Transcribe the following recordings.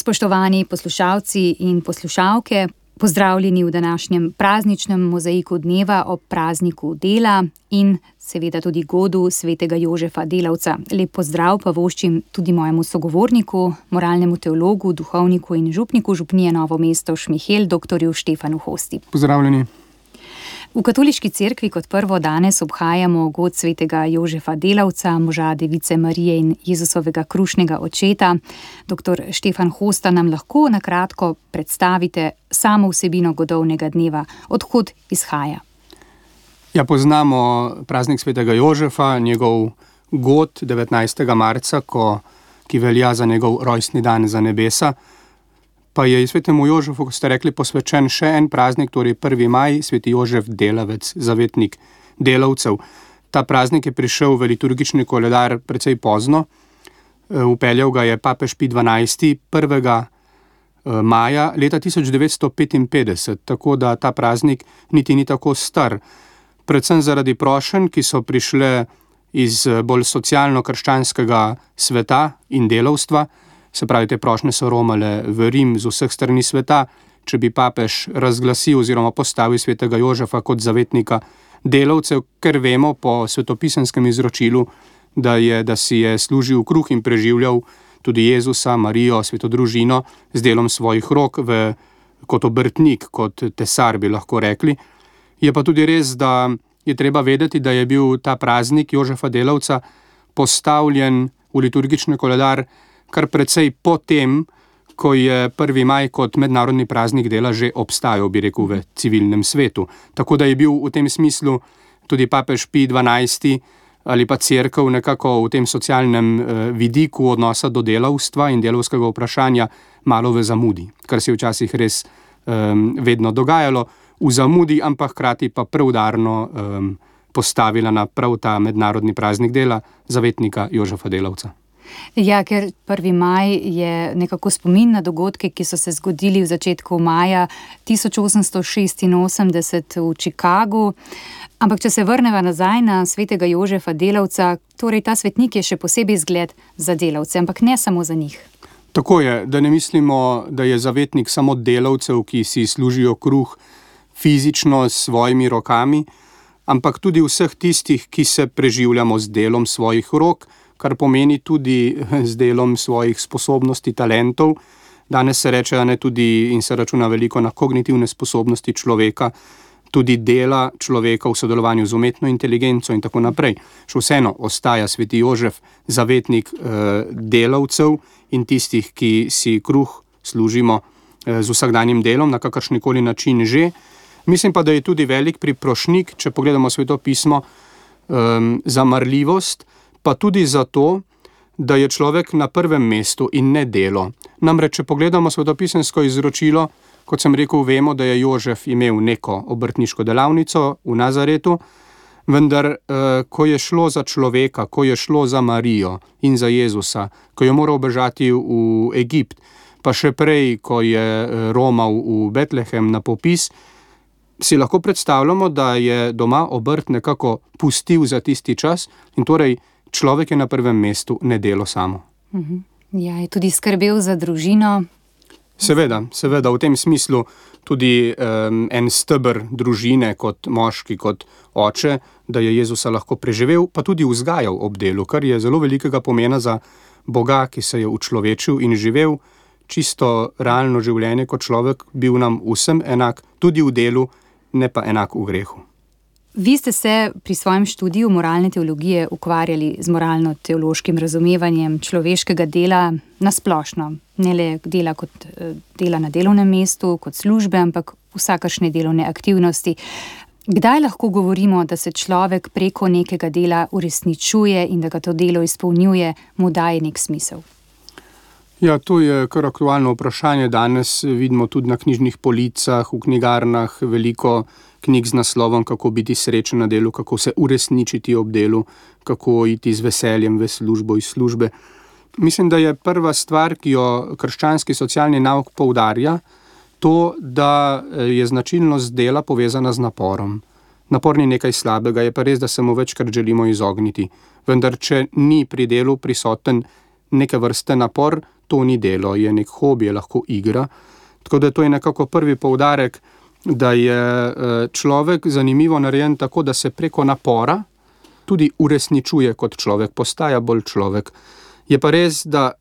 Spoštovani poslušalci in poslušalke, pozdravljeni v današnjem prazničnem mozaiku dneva ob prazniku dela in seveda tudi godu svetega Jožefa Delavca. Lep pozdrav pa voščim tudi mojemu sogovorniku, moralnemu teologu, duhovniku in župniku župnije Novo mesto Šmihel, doktorju Štefanu Hosti. Pozdravljeni. V katoliški cerkvi kot prvo danes obhajamo god svetega Jožefa Delavca, moža Device Marije in Jezusovega krušnega očeta. Doktor Štefan Hosta, nam lahko na kratko predstavite samo vsebino godovnega dneva, odkod izhaja? Ja, poznamo praznik svetega Jožefa, njegov god 19. marca, ki velja za njegov rojstni dan za nebesa. Pa je svetemu Jožefu, kot ste rekli, posvečen še en praznik, torej 1. maj, sveti Jožef Delavec, zavetnik delavcev. Ta praznik je prišel v liturgični koledar precej pozno. Vpeljal ga je papež Pij XII. 1. maja leta 1955, tako da ta praznik niti ni tako star. Predvsem zaradi prošenj, ki so prišle iz bolj socialno-krščanskega sveta in delavstva. Se pravi, te prošnje so romale v Rim z vseh strani sveta, če bi papež razglasil oziroma postavil svetega Jožefa kot zavetnika delavcev, ker vemo po svetopisenskem izročilu, da si je služil kruh in preživljal tudi Jezusa, Marijo, sveto družino z delom svojih rok kot obrtnik, kot tesar, bi lahko rekli. Je pa tudi res, da je treba vedeti, da je bil ta praznik Jožefa Delavca postavljen v liturgični koledar kar precej potem, ko je 1. maj kot mednarodni praznik dela že obstajal, bi rekel, v civilnem svetu. Tako da je bil v tem smislu tudi papež Pij XII. Ali pa cerkev nekako v tem socialnem vidiku odnosa do delavstva in delavskega vprašanja malo v zamudi, kar se je včasih res vedno dogajalo, v zamudi, ampak hkrati pa preudarno postavila na prav ta mednarodni praznik dela zavetnika Jožefa Delavca. Ja, ker 1. maj je nekako spomin na dogodke, ki so se zgodili v začetku maja 1886 v Chicagu. Ampak če se vrneva nazaj na svetega Jožefa Delavca, torej ta svetnik je še posebej zgled za delavce, ampak ne samo za njih. Tako je, da ne mislimo, da je zavetnik samo delavcev, ki si služijo kruh fizično s svojimi rokami, ampak tudi vseh tistih, ki se preživljamo z delom svojih rok, kar pomeni tudi z delom svojih sposobnosti, talentov. Danes se reče, da ne tudi in se računa veliko na kognitivne sposobnosti človeka, tudi dela človeka v sodelovanju z umetno inteligenco in tako naprej. Še vseeno ostaja sveti Jožef zavetnik delavcev in tistih, ki si kruh služimo z vsakdanjim delom, na kakršnikoli način že. Mislim pa, da je tudi velik priprošnik, če pogledamo Sveto pismo, za marljivost, pa tudi zato, da je človek na prvem mestu in ne delo. Namreč, če pogledamo svetopisemsko izročilo, kot sem rekel, vemo, da je Jožef imel neko obrtniško delavnico v Nazaretu, vendar, ko je šlo za človeka, ko je šlo za Marijo in za Jezusa, ko je moral bežati v Egipt, pa še prej, ko je romal v Betlehem na popis, si lahko predstavljamo, da je doma obrt nekako pustil za tisti čas in torej človek je na prvem mestu, ne delo samo. Ja, je tudi skrbel za družino. Seveda, v tem smislu tudi en steber družine kot moški, kot oče, da je Jezusa lahko preživel, pa tudi vzgajal ob delu, kar je zelo velikega pomena za Boga, ki se je učlovečil in živel čisto realno življenje kot človek, bil nam vsem enak, tudi v delu, ne pa enak v grehu. Vi ste se pri svojem študiju moralne teologije ukvarjali z moralno-teološkim razumevanjem človeškega dela nasplošno. Ne le dela kot dela na delovnem mestu, kot službe, ampak vsakršne delovne aktivnosti. Kdaj lahko govorimo, da se človek preko nekega dela uresničuje in da ga to delo izpolnjuje, mu daje nek smisel? Ja, to je kar aktualno vprašanje. Danes vidimo tudi na knjižnih policah, v knjigarnah veliko knjig z naslovom, kako biti srečen na delu, kako se uresničiti ob delu, kako iti z veseljem v službo iz službe. Mislim, da je prva stvar, ki jo krščanski socialni nauk poudarja, to, da je značilnost dela povezana z naporom. Napor ni nekaj slabega, je pa res, da se mu večkrat želimo izogniti. Vendar, če ni pri delu prisoten neke vrste napor, to ni delo, je nek hobi, je lahko igra. Tako da to je nekako prvi poudarek, da je človek zanimivo narejen tako, da se preko napora tudi uresničuje kot človek, postaja bolj človek. Je pa res, da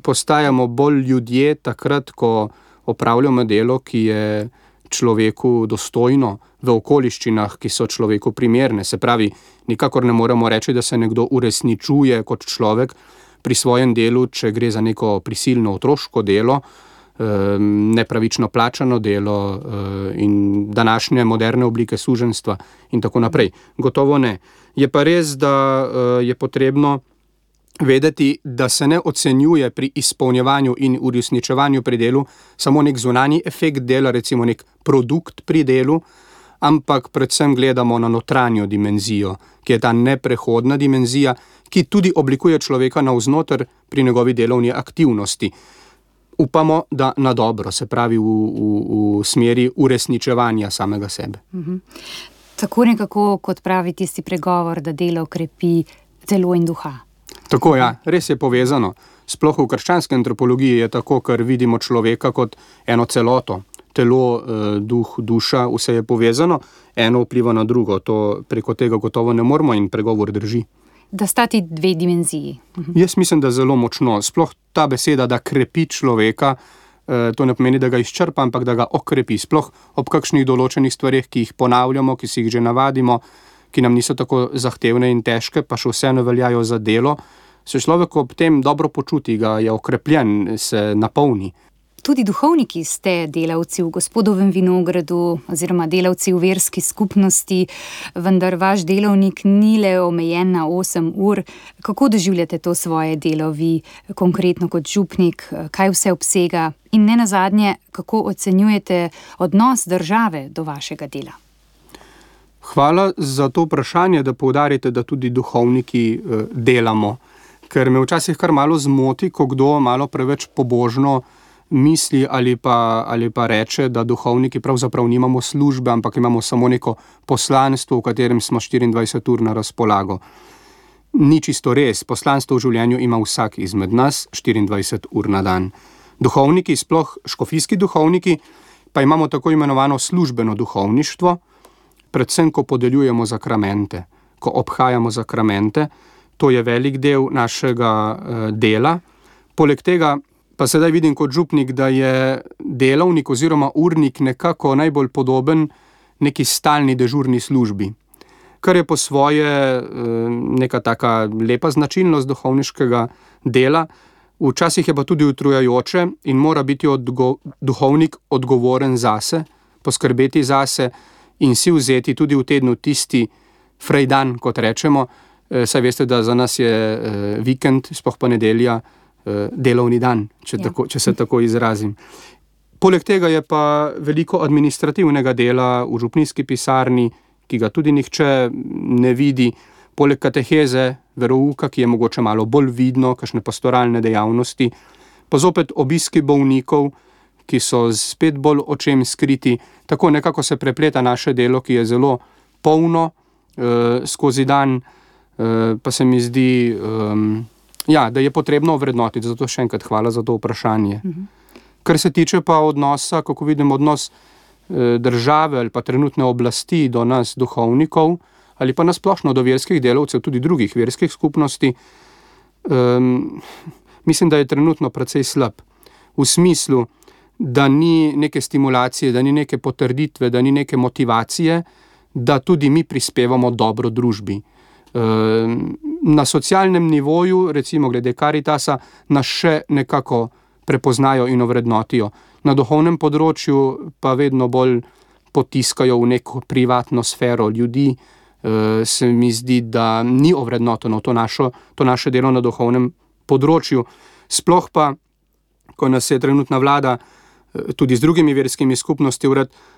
postajamo bolj ljudje takrat, ko opravljamo delo, ki je človeku dostojno v okoliščinah, ki so človeku primerne. Se pravi, nikakor ne moremo reči, da se nekdo uresničuje kot človek pri svojem delu, če gre za neko prisilno otroško delo, nepravično plačano delo in današnje moderne oblike suženjstva in tako naprej. Gotovo ne. Je pa res, da je potrebno vedeti, da se ne ocenjuje pri izpolnjevanju in uresničevanju pri delu samo nek zunanji efekt dela, recimo nek produkt pri delu, ampak predvsem gledamo na notranjo dimenzijo, ki je ta neprehodna dimenzija, ki tudi oblikuje človeka navznoter pri njegovi delovni aktivnosti. Upamo, da na dobro, se pravi v smeri uresničevanja samega sebe. Tako nekako, kot pravi tisti pregovor, da delo krepi telo in duha. Tako, ja, res je povezano. Sploh v krščanski antropologiji je tako, ker vidimo človeka kot eno celoto. Telo, duh, duša, vse je povezano, eno vpliva na drugo. To preko tega gotovo ne moremo in pregovor drži. Da sta ti dve dimenziji. Jaz mislim, da zelo močno. Sploh ta beseda, da krepi človeka, to ne pomeni, da ga izčrpa, ampak da ga okrepi. Sploh ob kakšnih določenih stvareh, ki jih ponavljamo, ki si jih že navadimo, ki nam niso tako zahtevne in težke, pa še vseeno veljajo za delo, se človek ob tem dobro počuti, ga je okrepljen, se napolni. Tudi duhovniki ste delavci v Gospodovem vinogradu oziroma delavci v verski skupnosti, vendar vaš delovnik ni le omejen na 8 ur. Kako doživljate to svoje delo vi, konkretno kot župnik, kaj vse obsega in nenazadnje, kako ocenjujete odnos države do vašega dela? Hvala za to vprašanje, da poudarite, da tudi duhovniki delamo, ker me včasih kar malo zmoti, ko kdo malo preveč pobožno misli ali pa reče, da duhovniki pravzaprav nimamo službe, ampak imamo samo neko poslanstvo, v katerem smo 24 ur na razpolago. Ni čisto res, poslanstvo v življenju ima vsak izmed nas 24 ur na dan. Duhovniki, sploh škofijski duhovniki, pa imamo tako imenovano službeno duhovništvo, predvsem ko podeljujemo zakramente, ko obhajamo zakramente, to je velik del našega dela. Poleg tega pa sedaj vidim kot župnik, da je delavnik oziroma urnik nekako najbolj podoben neki stalni dežurni službi, kar je po svoje neka taka lepa značilnost duhovniškega dela. Včasih je pa tudi utrujajoče in mora biti duhovnik odgovoren zase, poskrbeti zase in si vzeti tudi v tednu tisti frejdan, kot rečemo. Saj veste, da za nas je vikend, sploh pa nedelja, delovni dan, če se tako izrazim. Poleg tega je pa veliko administrativnega dela v župnijski pisarni, ki ga tudi nihče ne vidi, poleg kateheze, verouka, ki je mogoče malo bolj vidno, kakšne pastoralne dejavnosti, pa zopet obiski bolnikov, ki so spet bolj očem skriti. Tako nekako se prepleta naše delo, ki je zelo polno skozi dan, pa se mi zdi, da je potrebno ovrednotiti. Zato še enkrat hvala za to vprašanje. Kar se tiče pa odnosa, kako vidim odnos države ali pa trenutne oblasti do nas duhovnikov, ali pa nasplošno do verskih delavcev, tudi drugih verskih skupnosti, mislim, da je trenutno precej slab. V smislu, da ni neke stimulacije, da ni neke potrditve, da ni neke motivacije, da tudi mi prispevamo dobro družbi. Na socialnem nivoju, recimo glede Karitasa, nas še nekako prepoznajo in ovrednotijo. Na duhovnem področju pa vedno bolj potiskajo v neko privatno sfero ljudi. Se mi zdi, da ni ovrednoteno to naše delo na duhovnem področju. Sploh pa, ko nas je trenutna vlada tudi z drugimi verskimi skupnosti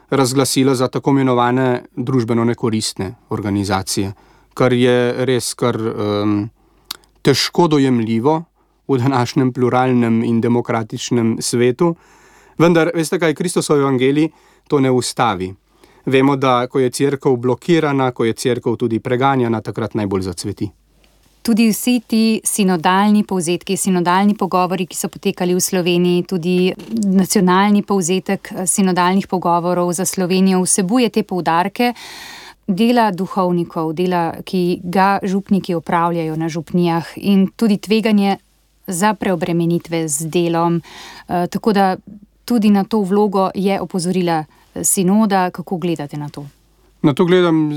razglasila za tako imenovane družbeno nekoristne organizacije, kar je res kar težko dojemljivo v današnjem pluralnem in demokratičnem svetu. Vendar, veste kaj, Kristosov evangelij to ne ustavi. Vemo, da ko je cerkev blokirana, ko je cerkev tudi preganjana, takrat najbolj zacveti. Tudi vsi ti sinodalni povzetki, sinodalni pogovori, ki so potekali v Sloveniji, tudi nacionalni povzetek sinodalnih pogovorov za Slovenijo vsebuje te poudarke dela duhovnikov, dela, ki ga župniki opravljajo na župnijah in tudi tveganje za preobremenitve z delom. Tako da tudi na to vlogo je opozorila sinoda. Kako gledate na to? Na to gledam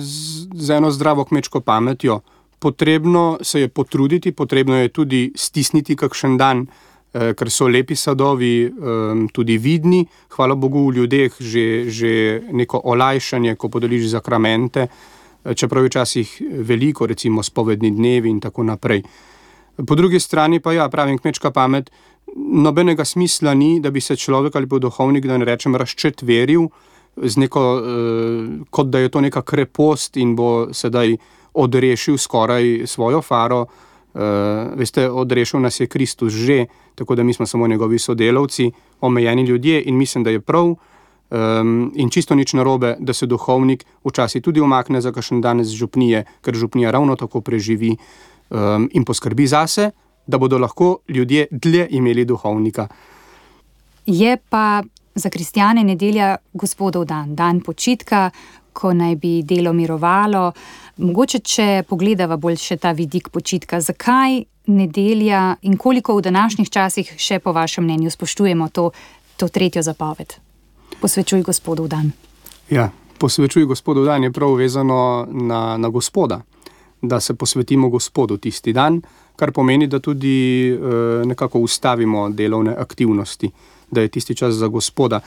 z eno zdravo kmečko pametjo. Potrebno se je potruditi, potrebno je tudi stisniti kakšen dan, ker so lepi sadovi tudi vidni. Hvala Bogu v ljudeh že neko olajšanje, ko podeliš zakramente, čeprav je včasih veliko, recimo spovedni dnevi in tako naprej. Po drugi strani pa pravim, kmečka pamet, nobenega smisla ni, da bi se človek ali pa duhovnik, da ne rečem, razčetveril z neko, kot da je to neka krepost in bo sedaj odrešil skoraj svojo faro. Veste, odrešil nas je Kristus že, tako da mi smo samo njegovi sodelavci, omejeni ljudje in mislim, da je prav in čisto nič narobe, da se duhovnik včasih tudi umakne za kakšen dan z župnije, ker župnija ravno tako preživi in poskrbi zase, da bodo lahko ljudje dlje imeli duhovnika. Je pa za kristjane nedelja Gospodov dan, dan počitka, ko naj bi delo mirovalo. Mogoče, če pogledava bolj še ta vidik počitka, zakaj nedelja in koliko v današnjih časih še po vašem mnenju spoštujemo to tretjo zapoved? Posvečuj Gospodov dan. Ja, posvečuj Gospodov dan je prav vezano na Gospoda, da se posvetimo Gospodu tisti dan, kar pomeni, da tudi nekako ustavimo delovne aktivnosti, da je tisti čas za Gospoda.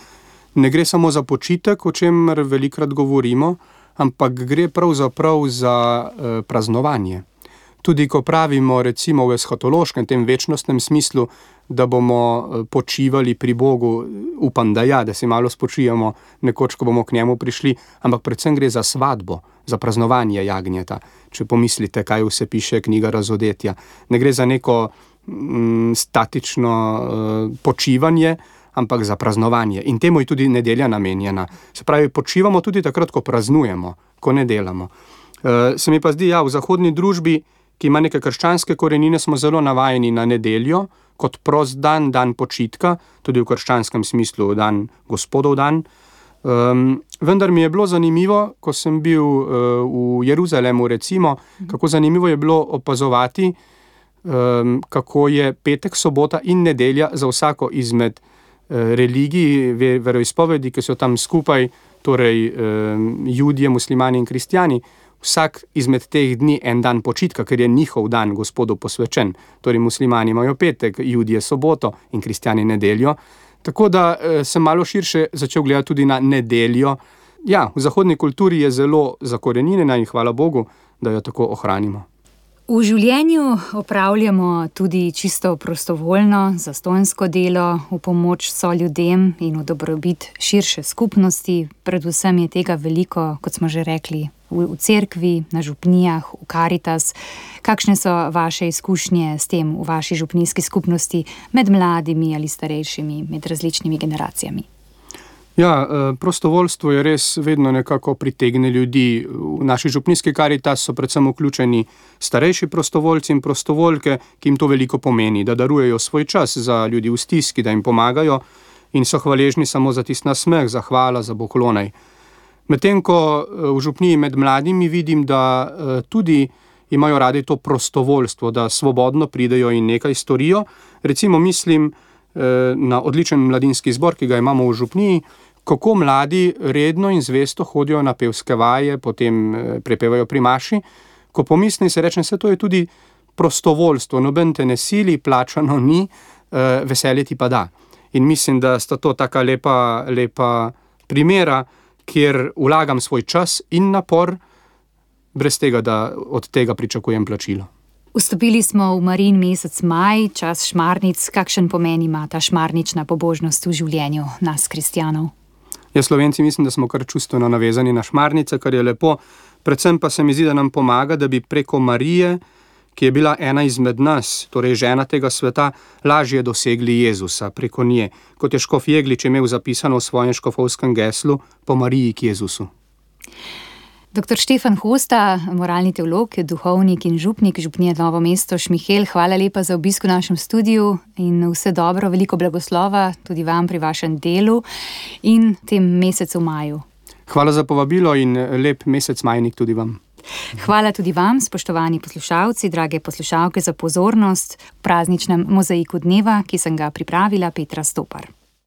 Ne gre samo za počitek, o čemer velikrat govorimo, ampak gre pravzaprav za praznovanje. Tudi ko pravimo recimo v eshatološkem, tem večnostnem smislu, da bomo počivali pri Bogu, upam, da se malo spočijemo nekoč, ko bomo k njemu prišli, ampak predvsem gre za svadbo, za praznovanje jagnjeta. Če pomislite, kaj vse piše knjiga Razodetja. Ne gre za neko statično počivanje, ampak za praznovanje. In temu je tudi nedelja namenjena. Se pravi, počivamo tudi takrat, ko praznujemo, ko ne delamo. Se mi pa zdi, v zahodni družbi, ki ima neke krščanske korenine, smo zelo navajeni na nedeljo, kot prost dan, dan počitka, tudi v krščanskem smislu dan Gospodov dan. Vendar mi je bilo zanimivo, ko sem bil v Jeruzalemu recimo, kako zanimivo je bilo opazovati, kako je petek, sobota in nedelja za vsako izmed religij, veroizpovedi, ki so tam skupaj, torej Judje, muslimani in kristjani, vsak izmed teh dni en dan počitka, ker je njihov dan Gospodu posvečen. Torej muslimani imajo petek, Judje soboto in kristjani nedeljo. Tako da sem malo širše začel gledati tudi na nedeljo. Ja, v zahodni kulturi je zelo zakorenjena in hvala Bogu, da jo tako ohranimo. V življenju opravljamo tudi čisto prostovoljno, zastonjsko delo v pomoč soljudem in v dobrobit širše skupnosti. Predvsem je tega veliko, kot smo že rekli, v cerkvi, na župnijah, v Karitas. Kakšne so vaše izkušnje s tem v vaši župnijski skupnosti med mladimi ali starejšimi, med različnimi generacijami? Ja, prostovoljstvo je res vedno nekako pritegne ljudi. V naši župnijski Karitas so predvsem vključeni starejši prostovoljci in prostovoljke, ki jim to veliko pomeni, da darujejo svoj čas za ljudi v stiski, da jim pomagajo in so hvaležni samo za tisti nasmeh, za hvala, za poklonaj. Medtem ko v župniji med mladimi vidim, da tudi imajo radi to prostovoljstvo, da svobodno pridejo in nekaj storijo. Recimo mislim na odličen mladinski zbor, ki ga imamo v župniji, kako mladi redno in zvesto hodijo na pevske vaje, potem prepevajo pri maši. Ko pomislim, se rečem, to je tudi prostovoljstvo, noben te ne sili, plačano ni, veselje ti pa da. In mislim, da sta to taka lepa primera, kjer vlagam svoj čas in napor, brez tega, da od tega pričakujem plačilo. Vstopili smo v Marijin mesec maj, čas šmarnic. Kakšen pomen ima ta šmarnična pobožnost v življenju nas, kristjanov? Ja, Slovenci mislim, da smo kar čustveno navezani na šmarnice, kar je lepo. Predvsem pa se mi zdi, da nam pomaga, da bi preko Marije, ki je bila ena izmed nas, torej žena tega sveta, lažje dosegli Jezusa preko nje. Kot je škof Jeglič imel zapisano v svojem škofovskem geslu, po Mariji k Jezusu. Dr. Štefan Hosta, moralni teolog, duhovnik in župnik župnije Novo mesto Šmihelj, hvala lepa za obisk v našem studiu in vse dobro, veliko blagoslova tudi vam pri vašem delu in tem mesecu maju. Hvala za povabilo in lep mesec majnik tudi vam. Hvala tudi vam, spoštovani poslušalci, drage poslušalke, za pozornost v prazničnem mozaiku dneva, ki sem ga pripravila, Petra Stopar.